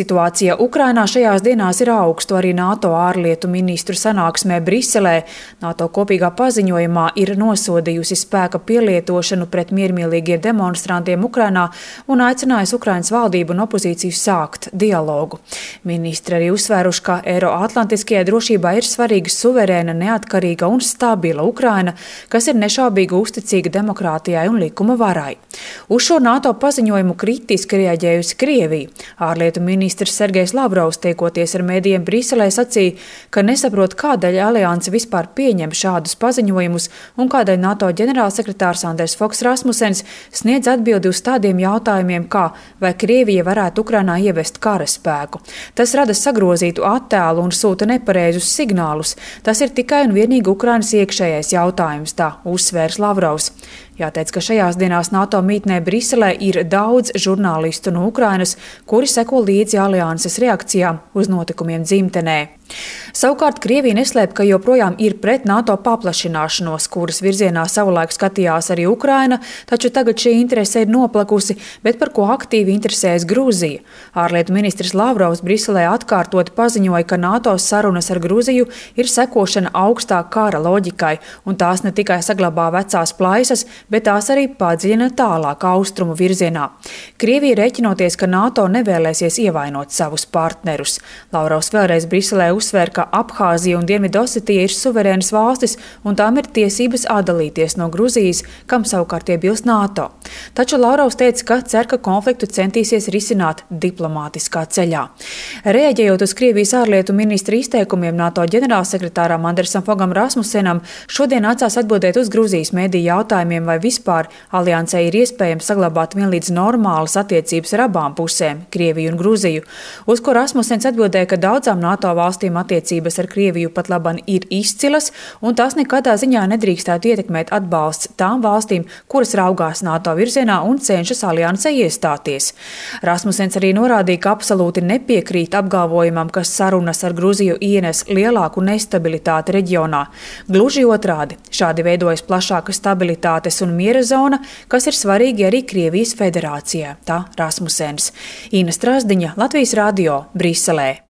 Situācija Ukrainā šajās dienās ir augstu arī NATO ārlietu ministru sanāksmē Briselē. NATO kopīgā paziņojumā ir nosodījusi spēka pielietošanu pret miermīlīgiem demonstrantiem Ukrainā un aicinājusi Ukrainas valdību un opozīciju sākt dialogu. Ministri arī uzsvēruši, ka Eiroatlantiskajai drošībai ir svarīga suverēna, neatkarīga un stabila Ukraina, kas ir nešaubīgi uzticīga demokrātijai un likuma varai. Uz šo NATO paziņojumu kritiski reaģējusi Krievija. Ārlietu ministrs Sergejs Lavrovs, tiekoties ar medijiem Briselē, sacīja, ka nesaprot, kādēļ alianse vispār pieņem šādus paziņojumus un kādēļ NATO ģenerālsekretārs Anders Foks Rasmussens sniedz atbildi uz tādiem jautājumiem, kā vai Krievija varētu Ukrainā ievest karaspēku. Tas rada sagrozītu attēlu un sūta nepareizus signālus. Tas ir tikai un vienīgi Ukrainas iekšējais jautājums, tā uzsvērs Lavrovs. Jāteic, ka šajās dienās NATO mītnē Briselē ir daudz žurnālistu no Ukrainas, kuri seko līdzi alianses reakcijām uz notikumiem dzimtenē. Savukārt Krievija neslēp, ka joprojām ir pret NATO paplašināšanos, kuras virzienā savulaik skatījās arī Ukraina, taču tagad šī interese ir noplakusi, bet par ko aktīvi interesējas Grūzija. Ārlietu ministrs Lavrovs Briselē atkārtoti paziņoja, ka NATO sarunas ar Grūziju ir sekošana augstā kara loģikai, un tās ne tikai saglabā vecās plaisas, bet tās arī padziļina tālāk austrumu virzienā. Krievija rēķinoties, ka NATO nevēlēsies ievainot savus partnerus. Lavrovs vēlreiz Briselē uzsver, ka Abhāzija un Dienvidosetija ir suverēnas valstis un tām ir tiesības atdalīties no Gruzijas, kam savukārt iebilst NATO. Taču Lavrovs teica, ka cer, ka konfliktu centīsies risināt diplomātiskā ceļā. Reaģējot uz Krievijas ārlietu ministra izteikumiem, NATO ģenerālsekretāram Andersam Fogam Rasmussenam šodien nācās atbildēt uz Gruzijas mediju jautājumiem, vai vispār aliansē ir iespējams saglabāt vienlīdz normālas attiecības ar abām pusēm, Krieviju un Gruziju, uz ko Rasmussens atbildēja, ka daudzām NATO valstīm attiecības ar Krieviju pat laban ir izcilas, un tās nekādā ziņā nedrīkstētu ietekmēt atbalsts tām valstīm, kuras raugās NATO virzienā un cenšas aliansē iestāties. Rasmussens arī norādīja, ka absolūti nepiekrīt apgalvojumam, ka sarunas ar Gruziju ienes lielāku nestabilitāti reģionā. Gluži otrādi, šādi veidojas plašāka stabilitātes un miera zona, kas ir svarīgi arī Krievijas federācijā, tā Rasmussens. Ina Strasdiņa, Latvijas radio, Briselē.